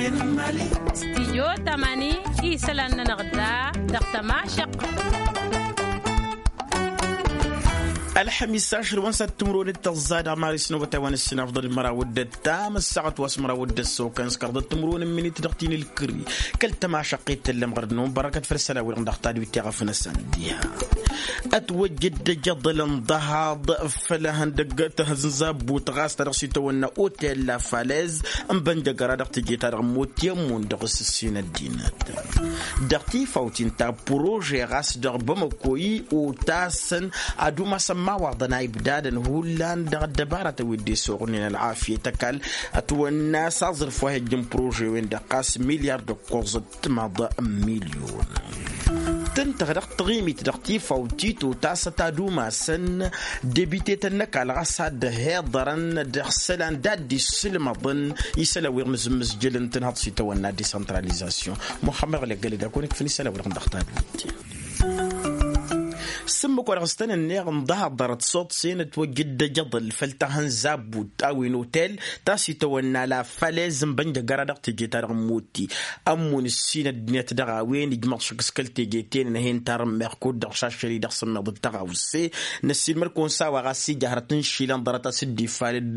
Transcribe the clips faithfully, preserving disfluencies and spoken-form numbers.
Stijyo tamani isălan-nănăɣ da dăɣ-tămašăq. Ălxămis ašăl wa n-săt timǝrwen d-tăẓẓa dăɣ-maris n-obătay wa n-ǝssin afḍăl măraw d-ăttam ăssaɣăt wa s-măraw d-ăssokăn s-kărdăt timǝrwen n-minit dăɣ-tinǝlkǝri. Kăl-tămašăq i-tăllăm ɣăr-dd nǝwăn bărăkăt făll-isălan-wi-dăɣ dăɣ-tadwit i-ɣăf n-asăn diha. Ătwăjjăd ăjăḍăl n-dăhaḍ făll-ehăndăg tăhăzzabbut ɣas ta dăɣ-s itawănna otel la falez n-bănjăgăra dăɣ-teje-ta-dăɣ n-mot i-ămmun dăɣ-s ǝssin ăddinăt. Dăɣ-tifawt-in ta prože ɣas dăɣ-bamăko i-otasăn ad-umasăn imawaḍăn a ibdadăn hullan dăɣ-ăddăbarătăn wi dd-isuɣnen ălɣafyăt ăkall. Ătwănna s-aẓrǝf wa hi-ăjjǝn prože-wen-dăɣ ɣas milyar d-ǝkkoẓăt timaḍ n-milyon. Tǝntăɣ dăɣ-taɣimit dăɣ-tifawt-i totasăt ad-umasăn debitetăn n-ăkall ɣas ad-dd-hiḍărăn dăɣ-isălan d-ad-dd-isǝlmăḍăn isălan wi dăɣ-mǝzǝmmǝzjălăn tǝnhăḍ s-itawănna desantralizasyon. Muxămmăd ɣlăggălăd a kăwăn-ikfăn isălan wi-dăɣ dăɣ-tadwit. S-ǝmmǝk wa dăɣ-s tăn-ǝnneɣ n-dăhaḍ ḍarăt suḍsen ătwăjjăd ăjăḍăl făll-tahănzabbut a-wen otel ta s-itawănna la falez n-bănjăgăra dăɣ-teje-ta-dăɣ n-mutti. Ămmun ǝssin ăddinăt dăɣ-a-wen ijmăḍ šăkk s-kăl-teje-ten n-hen tarǝmmeɣ kud-dăɣ šašăl-i dăɣ-sǝmmeḍ d-tăɣawse. Năssiilmăd-kăwăn s-a-wa ɣas ija hărăt n-išilan ḍarăt a-s dd-ifalăd.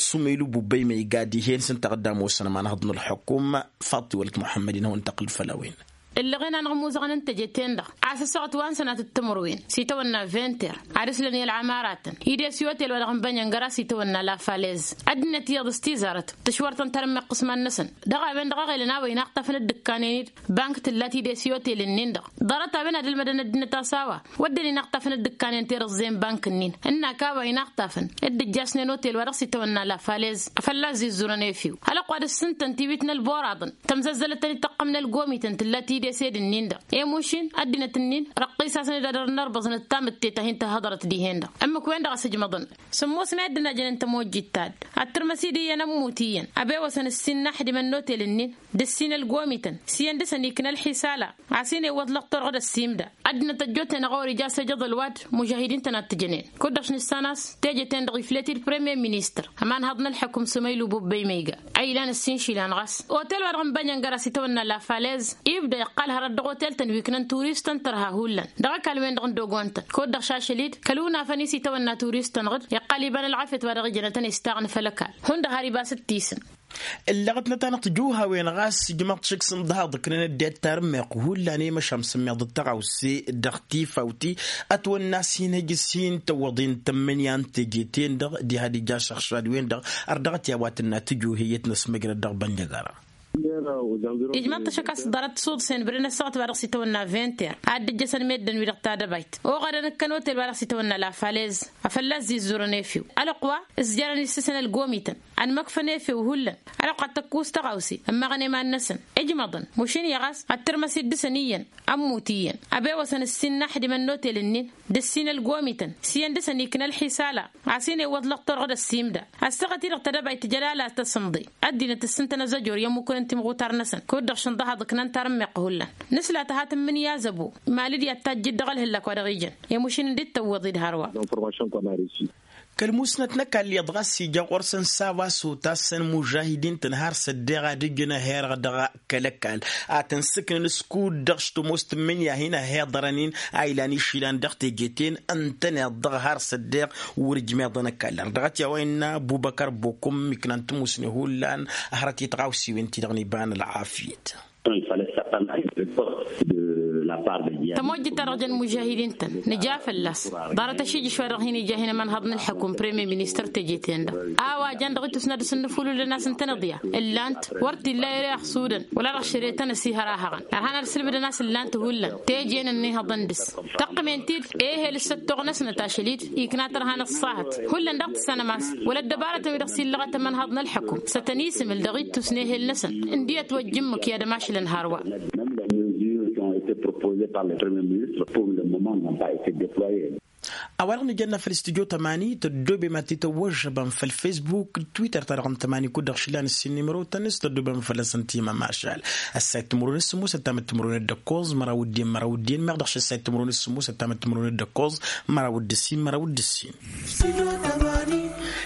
Sumăylu bubbăy ma iga dihen s-ǝnta ɣǝddam osăn ămanhăḍ n-ălḥukum. Faḍt-i wălăt muḥămmăd-in hawăn-tăqqǝl făll-a-wen. Ǝllăɣen-anăɣ ămuzăɣăn n-teje-ten-dăɣ a-s ăssaɣăt wa n-sănatăt timǝrwen s-itawănna vinter ad-ǝslăn i-ălɣamaraten. Ides i-otel-wa-dăɣ n-bănyăngăra s-itawănna la falez ăddinăt iyyăḍ s-tizarăt tǝšwăr-tăn tarǝmmeɣt ɣǝsman-năsăn. Dăɣ-a-wen-dăɣ a ɣelăn a-wa inaqṭafăn dd-ǝkkanen-dd bank tǝlla tides i-otel-nin-dăɣ. Ḍarăt a-wen ad-ǝlmădăn ăddinăt a-s a-wa wădden inaqṭafăn dd-ǝkkanen terǝẓẓe n-bank-nin ǝnnak a-wa inaqṭafăn dd-ǝjjasnen otel-wa-dăɣ s-itawănna la falez. Fălla-s izzurăn efew hălăqq wa dăr-s ǝntăn tiwit n-ălboraḍăn tămzăzzălăt-tăn-dd tăqqăm n-ălgomităn tǝlla tidesed-nin-dăɣ. Emušin ăddinăt-nin răqqis-asăn-dd ad-dăr-nărbăẓ n-ăttamǝttet a hin-tăhhăḍărăt dihen-dăɣ. Ǝmmǝk-wen-dăɣ a-s ǝjmăḍăn sǝmmos n-a dd-ănajăn n-tămojjit ta dd-ad-tǝrmăs-dd iyyăn ămmut iyyăn ăbewăsăn ǝssin n-aḥdimăn n-otel-nin d-ǝssin ălgomităn s-iyyăn dăr-săn ikna ălḥisala. A-s hin-iwwăḍ lăqtor ɣǝd-ăssimda ăddinăt ăjjootnen ăɣori ija s-ejăḍ ălwad. Mužahidin-tăn ad-t-ǝjănen kud-dăɣ š-nǝssan a-s teje-ten-dăɣ iflet-dd premier ministăr ămanhăḍ n-ălḥăkum sumăylu bubbăy ma iga a ilan ǝssin išilan ɣas. Otel-wa-dăɣ n-bănyăngăr a-s itawănna la falez ibda iqqal hărăt dăɣ-otel-tăn wi ǝknăn turistăn tărha hullan dăɣ-ăkall-wen-dăɣ n-dogon-tăn kud-dăɣ šašăl-dd kăl-unafăn-i s-itawănna turistăn ɣǝd iqqal iba n-ălɣafyăt wa dăɣ-ijănătăn istaɣn făll-ăkall. Hundăɣ har iba s-dd-tisǝn. Ǝllăɣăt n-ătanăɣ-t juhawen ɣas ǝjmăḍ šik s-ǝnḍăhaḍ ǝknăn ăddinăt tarǝmmeɣt hullan i-măšan sǝmmeḍ d-tăɣawse dăɣ-tifawt-i. Ătwănna a-s hin-hăj s-hin-tăwwăḍen tămmǝnǝya n-teje-ten-dăɣ diha d-ija ašăɣšad-wen-dăɣ. Ărdăɣăt i-a-wa tǝnna tǝju heyăt n-asmăjrăd dăɣ-bănjăgăra. Ijmăḍ-t ašăk a-s ḍarăt suḍsen bǝdăn ăssaɣăt wa dăɣ-s itawănna vinter ad-dd-ǝjjăsăn meddǝn-wi-dăɣ tadăbayt oɣadăn ǝkkăn otel wa dăɣ-s itawănna la falez. Afălla ăzzizzurăn efew ălwăqq wa ǝzjarăn issǝsăn ălgomităn ănmăkfăn efew hullan. Ălwăqq ad-tăkkus tăɣawse ǝmmăɣăn i-iman-năsăn ijmăḍăn mušin-i ɣas ad-tǝrmăs-dd dăr-săn iyyăn ămmut iyyăn ăbewăsăn ǝssin n-aḥdimăn n-otel-ǝnnin d-ǝssin ălgomităn s-iyyăn dăr-săn ikna ălḥisala. A-s hin-iwwăḍ lăqtor ɣǝd ăssimda ăssaɣăt-i-dăɣ tadăbayt tǝjăl ala tăsǝnḍe ăddinăt ǝssǝntăn azăjor i-ămmukăn n-timɣutar-năsăn kud-dăɣ šǝnḍăhaḍ ǝknan tarǝmmeɣt hullan. Nǝsla tăha tǝmmǝnǝya zăbo mali d-i ad-tajjǝd dăɣ-ălhǝllak wa dăɣ-ijăn i-mušin dd-tăwwăḍ-dd hărwa. Kăl-musnăt n-ăkall iyyăḍ ɣas ija ɣur-săn s-a-wa s-otasăn mužahidin-tăn har s-ăddeɣ ad-ǝjǝn ăhherăɣ dăɣ-kăl-ăkall ad-tăn-sǝknăn s-kud-dăɣ s-tămoos tǝmmǝnǝya hin-ăhhiḍărăn-in a ilan išilan dăɣ-teje-ten. Ǝntăneḍ-dăɣ har s-ăddeɣ wăr-ǝjmeḍăn ăkall ărdăɣăt i-a-wa innă bubăkăr bokum iknan tămusne hullan hărăt i-tăɣawsiwen-ti-dăɣ n-iba n-ălɣafyăt. Tămojjit-ta-dăɣ jăn mužahidin-tăn nǝja fălla-s ḍarăt ašijǝš wa dăɣ-hin-ija hin-ămanhăḍ n-ălḥăkum premier ministăr teje-ten-dăɣ a-wa jăn dăɣ-ittus n-ad-dăr-s ǝnnǝfulǝlăn a-s ǝntăneḍ ya ǝllan-t wăr t-illa ere ăxsudăn wăla-dăɣ šăre tăn-ăsihăr a hăɣăn ărhan ad-sǝlbǝdăn a-s ǝllan-t hullan. Teje-en ănnihăḍăn dăr-s tăqqǝmen-t-dd ehel s-ăttoɣ-năsnăt ašăl-dd ikna tărha n-ăṣṣahăt. Hullan daɣ tǝssanăm a-s wăla ăddăbarătăn wi-dăɣ s-illăɣăt ămanhăḍ n-ălḥăkum s-ad-tăn-isǝmǝl dăɣ-ittus n-ehel-năsăn ǝndi ătwăjja ǝmmǝk i-ad-ămašlăn hărwa. Meme les mesures qui ont été proposées par le premier ministre pour le moment n'ont pas été déployées. A-wa-dăɣ nǝjănna făll-studyo tămani tăddobem ad-t-tăwwăžžăbăm făll-facebook d-twitter-ta-dăɣ n-tămani kud-dăɣ šlan ǝssin n-imrotăn s-tăddobem fălla-săn timămašal. Ăssayăt timǝrwen s-sǝmmos ăttamăt timǝrwen d-ǝkkoẓ măraw d-en măraw d-en meɣ dăɣ-š ăssayăt timǝrwen s-sǝmmos ăttamăt timǝrwen d-ǝkkoẓ măraw d-ǝssin măraw d-ǝssin.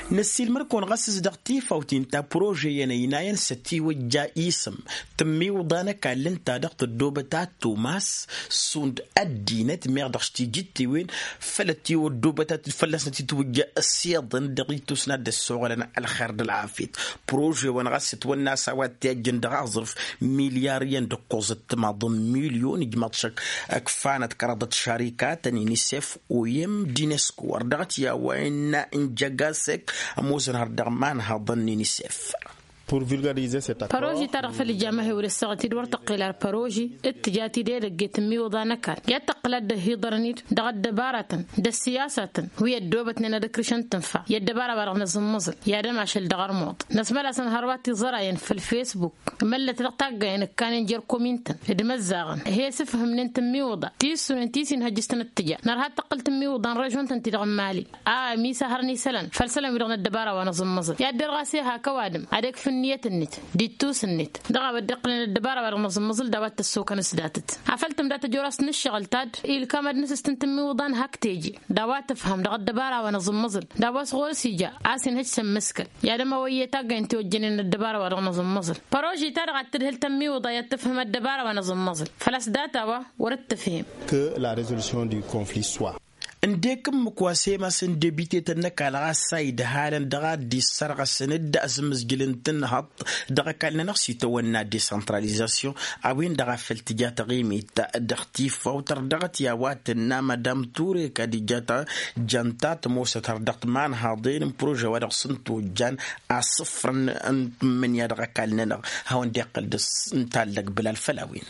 Năssiilmăr-kăwăn ɣas s-dăɣ tifawt-in ta prože-iyyăn ăynayăn s-ătiwăjja isǝm tǝmmiwǝḍa n-ăkall ǝnta-dăɣ tăddoobăt ad-tumas šund ăddinăt meɣ dăɣ-s tijǝttiwen făll-ătiwăddoobăt ad-fălla-s n-ătitwǝjja ăssiḍăn dăɣ-itus n-ad-dd-ăssoɣălăn ălxer d-ălɣafyăt. Prože-wăn ɣas ătwănna a-s a-wa t-ijjăn dăɣ-aẓrǝf milyar iyyăn d-ǝkkoẓăt timaḍăn milyon ijmaḍ šăkk ǝkfanăt kăraḍăt šarikatăn inisef, oyem d-inesko wăr dăɣ-t i-a-wa innă n-jăgasek ămoosăn har dăɣ-imanhaḍăn n-inisef. Păroži-ta-dăɣ făll-ija măhewăl ǝssaɣăt-dd wăr tăqqel ar păroži d-tǝja tidedăgget n-imiwǝḍa n-ăkall i-ad-tăqqǝl ad-dd-ăhhiḍărăn-dd dăɣ-ăddăbaratăn d-ăssiyasatăn wi ăddoobătnen ad-ǝkrǝšăn tǝnfa i-ăddăbara-wa-dăɣ n-aẓǝmmăẓǝl i-ad-ămašăl dăɣ-ărmuḍ. Năsmălasăn hărwa tiẓărayen făll-fesbuk măllăt dăɣ-taggayen ǝkkanen jer-komintăn d-imăzzaɣăn he-sǝfhǝmnen tǝmmiwǝḍa ti ǝssunen ti s-inhăjjǝs-tăn d-tǝja nărha ad-tăqqǝl tǝmmiwǝḍa n-režon-tăn-ti-dăɣ n-mali. A ămisahărăn isălan făll-isălan-wi-dăɣ n-ăddăbara wa n-aẓǝmmăẓǝl i-ad-derɣas eha kăwadǝm ad-ekf ǝnniyăt-net d-ittus-net dăɣ-a-wa dd-iqqǝlnen ăddăbara-wa-dăɣ n-aẓǝmmăẓǝl d-a-wa t-ăssokăn s-datăt. Afăl tǝmda tăjorăst n-ǝššăɣǝl ta dd-ilkam ad-nǝsǝstǝn tǝmmiwǝḍan hak teje d-a-wa tǝfhăm dăɣ-ăddăbara wa n-aẓǝmmăẓǝl d-a-wa s-ɣur-s ija a-s inhăj s-ămmǝskăl. I-ad-ămawăyye taggăyăn tiwăjjănen n-ăddăbara-wa-dăɣ n-aẓǝmmăẓǝl păroži ta-dăɣ ad-tǝdhǝl tămmiwǝḍa i-ad-tǝfhǝm ăddăbara wa n-aẓǝmmăẓǝl făl-a-s data-wa wăr-dd-tǝfhǝm. Que la résolution du conflit soit. Ǝndek ǝmmǝk wa s-emasăn debitetăn n-ăkall ɣas a idhalăn dăɣ-a dd-issărɣăsăn-dd asǝmmǝzjǝl n-tǝnhăḍt dăɣ-ăkall-nănăɣ s-itawănna desantralizasyon a-wen-dăɣ a făl tǝja taɣimit dăɣ-tifawt ărdăɣăt i-a-wa tǝnna madam ture kadija ta janta tămoosăt har dăɣ-timanhaḍen n-prože wa dăɣ-s n-tojjan asǝfrăn n-tǝmmǝnǝya dăɣ-ăkall-nănăɣ. Hawăn-dd iqqăl dăɣ-s n-tallăg bǝlal făll-a-wen.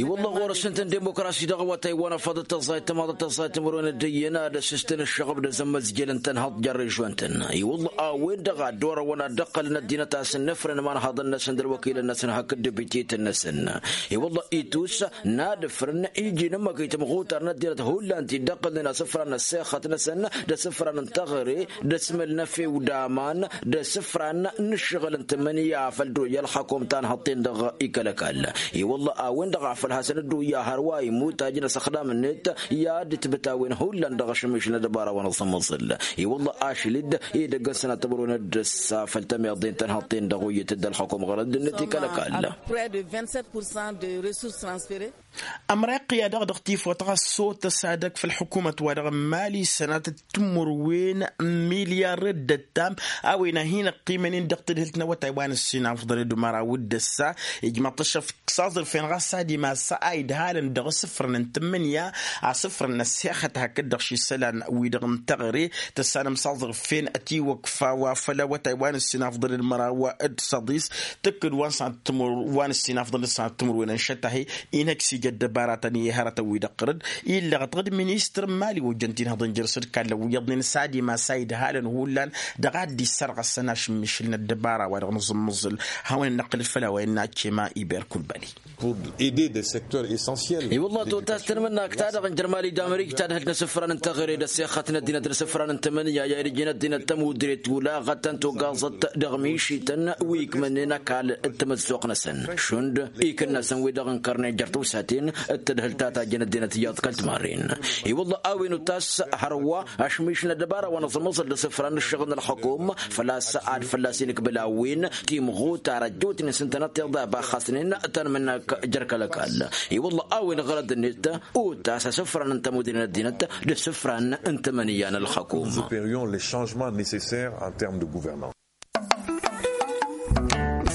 I-wălla ɣur-s ǝnta n-dimokrasi dăɣ-awătay wa n-afăḍăt tăẓẓayt tămaḍăt tăẓẓayt timǝrwen d-iyyăn ad-ăssistăn ǝššăɣăb d-azămmăzjăl n-tănhăḍ jer-režon-tăn. I-wălla a-wen-dăɣ a dd-orăwăn ad-dd-ăqqălăn ăddinăt a-s ǝnnǝfrăn imanhăḍăn-năsăn d-ălwăkilăn-năsăn hakd debitităn-năsăn. I-wălla itus n-ad-ǝfrǝn iji n-ǝmmăk i-timɣutar n-ăddinăt hullan ti dd-ăqqǝlnen asǝfran n-ăssexăt-năsăn d-asǝfran n-teɣăre d-asmăl n-efew d-aman d-asǝfran n-ǝššăɣǝl n-tǝmmǝnǝya a făl dd-oyya ălxăkum tanhăḍt-ten-dăɣ. I-kăl-ăkall i-wălla a-wen-dăɣ a făl hasăn-dd-oyya hărwa imutaj n-asăxdam-net i-ad-dd-tibǝtawen hullan dăɣ-ašǝmmiš n-ăddăbara wa n-aẓǝmmăẓǝl. I-wălla ašăl-dd edăgg-ăsnat timǝrwen d-ǝssa făll-tămiḍen tanhăḍt-ten-dăɣ oyyăt-dd ălxăkum ɣărăd-net i-kăl-ăkall. Près de vingt-sept pour cent de ressources transférées. Ămrayăɣ i-ad-dăɣ dăɣ-tifawt ɣas s-otăs ad-ăkf ălḥukumăt wa dăɣ-n mali sănatăt timǝrwen n-milyar d-ăttam a-wen a hin-ăqqimănen dăɣ-tadhǝlt n-awătay wa n-ǝssin afḍăn d-măraw d-ăssa ijmăḍ-t ăššăf s-aẓrǝf-en ɣas ad-imas a idhalăn dăɣ-asǝfrăn n-tǝmmǝnǝya asǝfrăn n-ăssexăt hakd-dăɣ s-isălan-wi-dăɣ n-teɣăre tăssanăm s-aẓrǝf-en ătiwăkf a-wa făll-awătay wa n-ǝssin afḍăn d-măraw d-săḍis tǝkkǝd wa n-sănat timǝrwen n-ǝssin afḍăn d-sănat timǝrwen n-išăt a-hi-inhăj s-ija ăddăbaratăn i-hărătăn-wi-dăɣ ɣărăd illăɣăt ɣǝd ministăr n-mali ojjăn tinhăḍăn jer-săd kallăn wi iyyăḍnen s-ad-imas a idhalăn hullan dăɣ-ad-dd-issărɣăsăn ašǝmmišǝl n-ăddăbara wa dăɣ-nǝẓǝmmǝẓǝl. Hawăn-ănnăqqǝl făll-a-wa innă cema iber kulbali. Pour aider des secteurs essentiels. I-wălla totas tănmǝnnak-ta-dăɣ n-jer-mali d-amerik tadhǝlt n-asǝfran n-teɣăre d-ăssexăt n-ăddinăt n-asǝfran n-tămănǝya i-ad-ǝjǝn ăddinăt tămudret ulaɣăt tăn-togaẓăt dăɣ-mišităn wi ikmănnen ăkall d-tamăzzuɣt-năsăn šund ikǝnnasăn-wi-dăɣ ǝnkărnen jer-tawsaten d-tadhǝlt ta tajjăn ăddinăt iyyăḍ kăl-timarren. I-wălla a-wen utas hărwa ašmiš n-ăddăbara wa n-aẓǝmmăẓăl d-asǝfra n-ǝššăɣǝl n-ălxăkum făl-a-s ad-fălla-s inǝkbǝl a-wen timɣutar ăjjootnen s-ǝntănăt tiḍa ibaxxasnen tanmǝnnak jer-kăl-ăkall. I-wălla a-wen ɣărăd-net utas asǝfran n-tămudre n-ăddinăt d-asǝfran n-tămănǝya n-ălxăkum. Nous opérions les changements nécessaires en termes de gouvernance.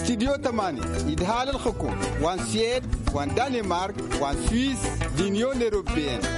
Studyo tămani idhal ălxǝkum wa n-sued wa n-danemark wa n-suis d-unyon européenne.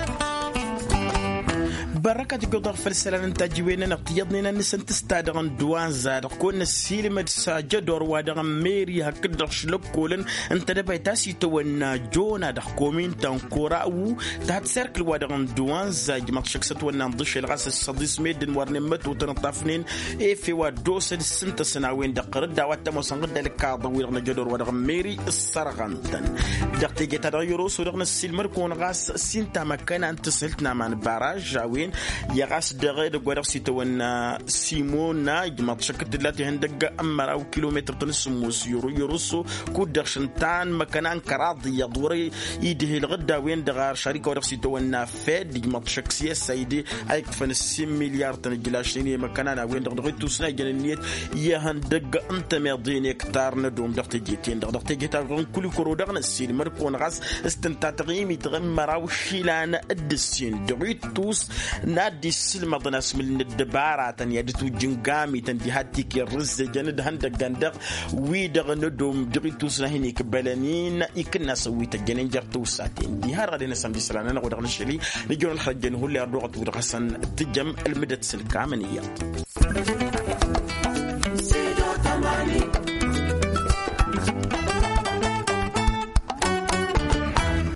Bărrăkăt gǝḍăɣ făll-isălan n-tajǝwen-nănăɣ tiyyăḍnen ad-nǝsǝntǝs ta dăɣ-n duwanza-dăɣ kăwăn-năssiilmăd s-ajădor wa dăɣ-n-meri hakd-dăɣ šlăkkolăn ǝnta d-ăbayt a-s itawănna jona dăɣ-komin ta n-kora u-tad serkǝl wa dăɣ-n duwanza ijmăḍ šăkk s-ătwănna ǝnḍǝšel ɣas ăssăḍis meddǝn wărnen mătotăn ǝṭṭafnen efew ad-dd-osăd s-ǝntăsăn a-wen-dăɣ ɣărăd a-wa t-ămoosăn ɣǝdda ălkaḍăn-wi-dăɣ n-ajădor wa dăɣ-n meri ǝssărɣăn-tăn. Dăɣ-teje-ta-dăɣ i-oroso dăɣ-năssiilmăd-kăwăn ɣas s-inta măkkăna n-tǝshǝlt n-aman baraž a-wen I-ɣas dăɣ-edăgg wa dăɣ-s itawănna simona ijmaḍ šăkk d-tǝlla tihăndăgg n-măraw kilometăr-tăn s-sǝmmos yăru yărusso kud-dăɣ šăntan măkăna n-kăraḍ iyyăḍ wăr-idhil ɣǝdda a-wen-dăɣ ar šarika wa dăɣ-s itawănna fed ijmaḍ šăkk s-i-ăssayde a iktǝfăn ǝssin milyar-tăn ǝjlašnen i-măkăna n-a-wen-dăɣ dăɣ-ittus n-a ijăn ǝnniyăt i-ihăndăgg n-tămeḍe n-ektar n-ădom dăɣ-teje-ten-dăɣ dăɣ-teje-ta-dăɣ n-kulikoro dăɣ-năssiilmăd-kăwăn ɣas s-tǝnta taɣimit ɣǝmmăraw išilan d-ǝssin dăɣ-ittus n-ad-dd-issǝlmăḍăn asmǝl n-ăddăbaratăn i-ad-dd-tujjǝn gamităn diha t-ikerrǝzzejăn d-ihăndăggăn-dăɣ wi-dăɣ n-ădom dăɣ-ittus n-ad-hin-ikbălăn-in ikǝnnas ăwwităjjănen jer-tawsaten diha-dăɣ ad-hin-ăsămd isălan-anăɣ wa dăɣ-nǝššăl-i nǝjăwăn ălxărăjjăn hullan dăɣ-ătwǝdɣăsăn tǝjăm ălmǝdăt s-ǝlkamăn iyyăḍ.